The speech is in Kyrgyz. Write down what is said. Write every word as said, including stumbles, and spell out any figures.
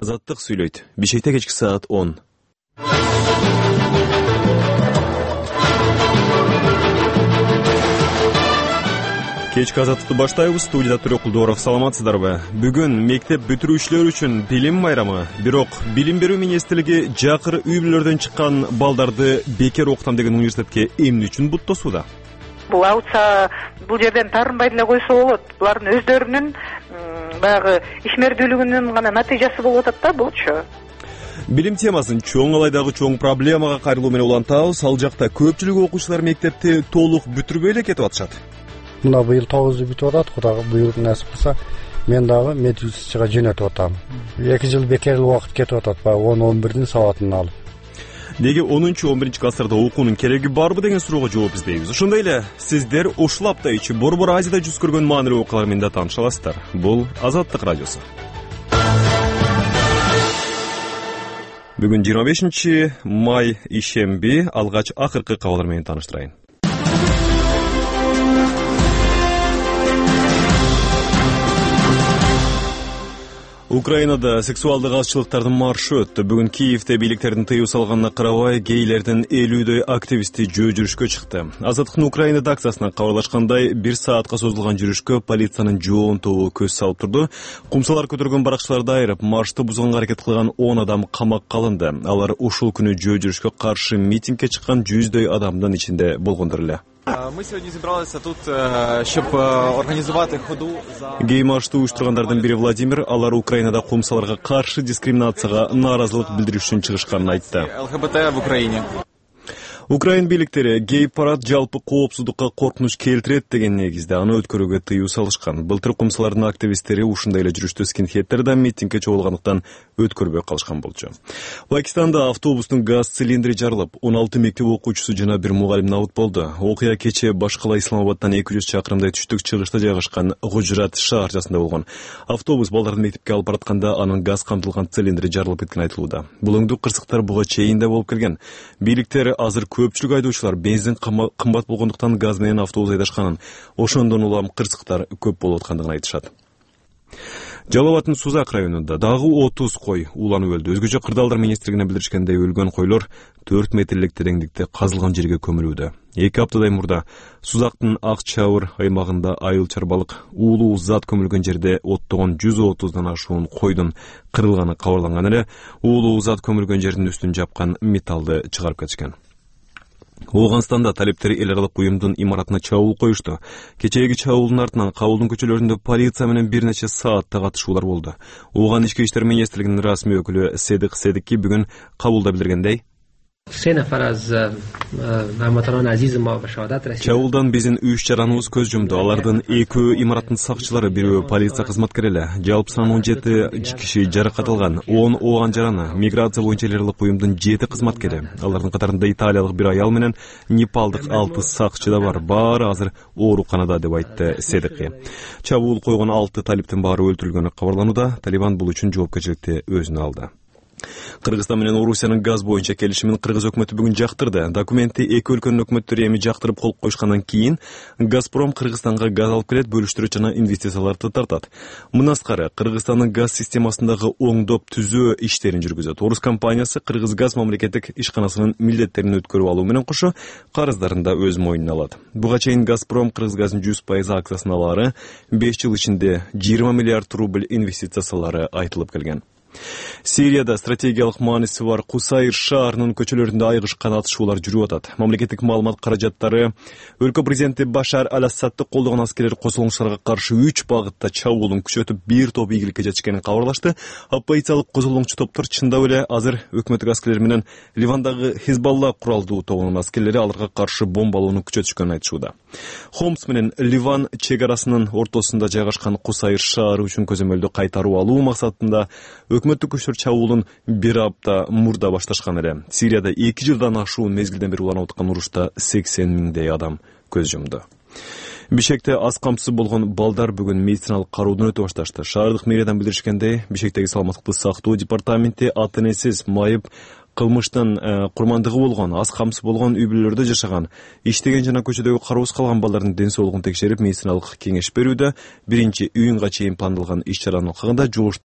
Азаттык сүйлөйт. Бишкекте кечки саат он. Кечки азаттыкты баштайбыз. Студияда Түрөк Кулдуоров. Саламатсыздарбы? Бүгүн мектеп бүтүрүүчүлөр үчүн билим байрамы. Бирок билим берүү министрлиги жакыр үй-бүлөлөрдөн чыккан балдарды бекер окутам деген университетке эмне үчүн буттосууда? Бул аутса бул жерден таарынбай эле койсо болот. Булардын өздөрүнүн баягы ишмердүүлүгүнүн гана натыйжасы болуп атат да булчу. Билим темасын чоң алайдагы чоң проблемага кайрылуу менен улантабыз. Ал жакта көпчүлүк окуучулар мектепти толук бүтүрбөй эле кетип атышат. Мына быйыл тогузу бүтүп атат. Кудайга буйрук насип кылса, мен дагы медучилищеге жөнөтүп атам. эки жыл бекер убакыт кетип атат, баягы он он бирдин сабатын алып. Неге онунчу он биринчи класстарда окуунун кереги барбы деген суроого жооп издейбиз. Ошондой эле сиздер ушул апта ичи Борбор Азияда жүз көргөн маанилүү окуялар менен да тааныша аласыздар. Бул Азаттык радиосу. Бүгүн жыйырма бешинчи май ишемби. Алгач акыркы кабарлар менен тааныштырайын. Украинада сексуалдык азчылыктардын маршы өттү. Бүгүн Киевде бийликтердин тыюу салганына карабай, гейлердин элүүдөй активисти жөө жүрүшкө чыкты. Азаттыктын Украина редакциясына кабарлашкандай, бир саатка созулган жүрүшкө полициянын жоон тобу көз салып турду. Кумсалар көтөргөн баракчыларды айырып, маршты бузганга аракет кылган он адам камакка алынды. Алар ушул күнү жөө жүрүшкө каршы митингге чыккан жүздөй адамдын ичинде болгондор эле. Ми сьогодні зібралися тут, щоб організувати ходу за... Гей-маршты уюштургандардын бири Владимир, алар Украинада кумсаларга каршы дискриминацияга нааразылык билдирүү үчүн чыгышканын айтты. ЛГБТ в Украине. Украин бийликтери гей-парад жалпы коопсуздукка коркунуч келтирет деген негизде аны өткөрүүгө тыюу салышкан. Былтыр кумсалардын активисттери ушундай эле жүрүштө скинхеддер да митингге чогулгандыктан өткөрбөй калышкан болчу. Пакистанда автобустун газ цилиндри жарылып, он алты мектеп окуучусу жана бир мугалим набыт болду. Окуя кечээ башкала Исламабадтан эки жүз чакырымдай түштүк чыгышта жайгашкан Гужрат шаарчасында болгон. Автобус балдарды мектепке алып баратканда анын газ камтылган цилиндри жарылып кеткен айтылууда. Булуңдуу кырсыктар буга чейин да болуп келген. Бийликтер азыр көпчүлүк айдоочулар бензин кымбат болгондуктан газ менен автобус айдашканын, ошондон улам кырсыктар көп болуп аткандыгын айтышат. Жалал Абадтын Сузак районунда дагы отуз кой уланып өлдү. Өзгөчө кырдаалдар министрлигине билдиришкендей, өлгөн койлор төрт метрлик тереңдикте казылган жерге көмүлүүдө. Эки аптадай мурда Сузактын Ак Чабыр аймагында айыл чарбалык уулуу зат көмүлгөн жерде оттогон жүз отуздан ашуун койдун кырылганы кабарланган эле, уулуу зат көмүлгөн жердин үстүн жапкан металлды чыгарып кетишкен. Ооганстанда талептер эл аралык уюмдун имаратына чабуул коюшту. Кечээги чабуулдун артынан кабылдын көчөлөрүндө полиция менен бир нече саатта катышуулар болду. Ооган ички иштер министрлигинин расмий өкүлү Седик Седикки бүгүн кабулда билдиргендей, чабуулдан биздин үч жараныбыз көз жумду. Алардын экөө имараттын сакчылары, бирөө полиция кызматкери эле. Жалпы саны он жети киши жаракат алган. он ооган жараны. Миграция боюнча эл аралык уюмдун жети кызматкери. Алардын катарында италиялык бир аял менен непалдык алты сакчы да бар. Баары азыр ооруканада, деп айтты Седикки. Чабуул койгон алты талиптин баары өлтүрүлгөнү кабарланууда. Талибан бул үчүн жоопкерчиликти өзүнө алды. Кыргызстан менен Орусиянын газ боюнча келишимин Кыргыз өкмөтү бүгүн жактырды. Документти эки өлкөнүн өкмөттөрү эми жактырып кол коюшкандан кийин Газпром Кыргызстанга газ алып келет, бөлүштүрөт жана инвестицияларды тартат. Мындан тышкары Кыргызстандын газ системасындагы оңдоп түзөө иштерин жүргүзөт. Орус компаниясы Кыргыз газ мамлекеттик ишканасынын милдеттерин өткөрүп алуу менен кошо карыздарын да өз мойнуна алат. Буга чейин Газпром Кыргыз газын жүз пайыз акциясын алары беш жыл ичинде жыйырма миллиард рубль инвестиция салары айтылып келген. Сирияда стратегиялык мааниси бар Кусайр шаарынын көчөлөрүндө айгышкан атышуулар жүрүп атат. Мамлекеттик маалымат каражаттары өлкө президенти Башар аль-Асадты колдогон аскерлер козголоңчуларга каршы үч багытта чабуулун күчөтүп, бир топ ийгиликке жетишкенин кабарлашты. Оппозициялык козголоңчу топтор чындап эле азыр өкмөттүк аскерлер менен Ливандагы Хизбалла куралдуу тобунун аскерлери аларга каршы бомбалоону күчөтүшкөнүн айтышууда. Хомс менен Ливан чек арасынын ортосунда жайгашкан Кусайр шаары үчүн көзөмөлдү кайтаруу алуу максатында өкмөттүк күчтөр чабуулун бир апта мурда башташкан эле. Сирияда эки жылдан ашуун мезгилден бери уланып аткан урушта сексен миңдей адам көз жумду. Бишкекте аз камсыз болгон балдар бүгүн медициналык кароодон өтө башташты. Шаардык мэриядан билдиришкендей, Бишкектеги саламаттыкты сактоо департаменти ата энесиз майып кылмыштын курмандыгы болгон, аз камсыз болгон үй-бүлөлөрдө жашаган, иштеген жана көчөдөгү кароосуз калган балдардын ден соолугун текшерип, медициналык кеңеш берүүдө. Биринчи июнга чейин пландалган иш чаранын алкагында жугуш